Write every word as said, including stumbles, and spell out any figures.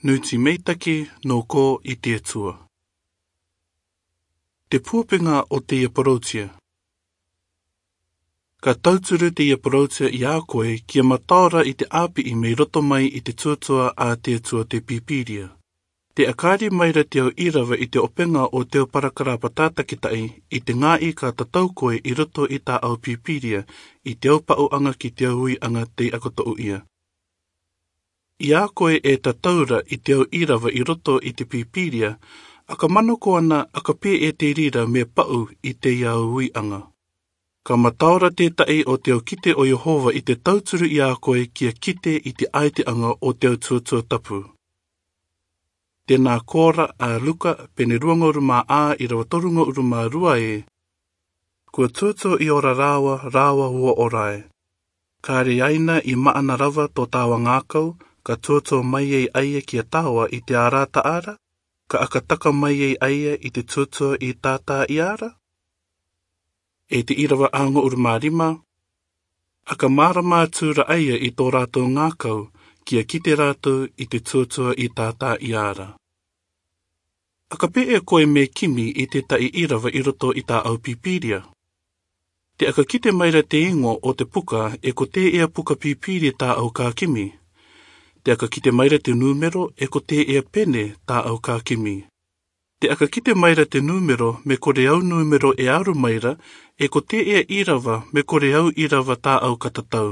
Nūti meitaki nō kō i te Atua. Te puapengā o te ia parautia. Ka tauturu te ia parautia i a koe kia mataora i te ʻāpiʻi mei roto mai i te tuatua a te Atua te Pīpīria. Te akari maira te au irava i te opengā o te au parakarapa tātakitaʻi i te ngāi ka tatau koe i roto i tā au Pīpīria, i te au paʻuʻanga ki te au uiʻanga tei ako toʻu ia. I a koe e tatau ra i te au irava i roto i te Pīpīria, ʻa ka manako ana ʻa ka pē e te rira me paʻu i te ia au uiʻanga. Ka mataora tētaʻi o te au kite o Iehova i te tauturu i a koe kia kite i te ʻaiteʻanga o te au tuatua tapu. Tēnā kōra a Luka, pene ruangauru mā ʻā irava torungauru mā rua e. Kua tuatua i ora rāua, rāua ua ora e. Ka reaina i maʻana rava tō tāua ngākau, ka tuatua mai ei aia kia tāua i te arataʻara, ka ʻakataka mai ei aia i te tuatua i tātā i ara. E te irava ʻāngauru mā rima, ʻa ka mārama atu ra aia i tō rātou ngākau, kia kite rātou i te tuatua i tātā i ara. ʻA ka pē e koe me kimi i tētaʻi irava i roto i tā au Pīpīria. Te ʻaka kite maira te ingoa o te puka e ko tē ea puka Pīpīria tā au ka kimi. Te ʻaka kite maira te nūmero e ko tē ea pene tā au ka kimi. Te ʻaka kite maira te nūmero me kore au nūmero e aru maira, e ko tē ea irava me kore au irava tā au ka tatau.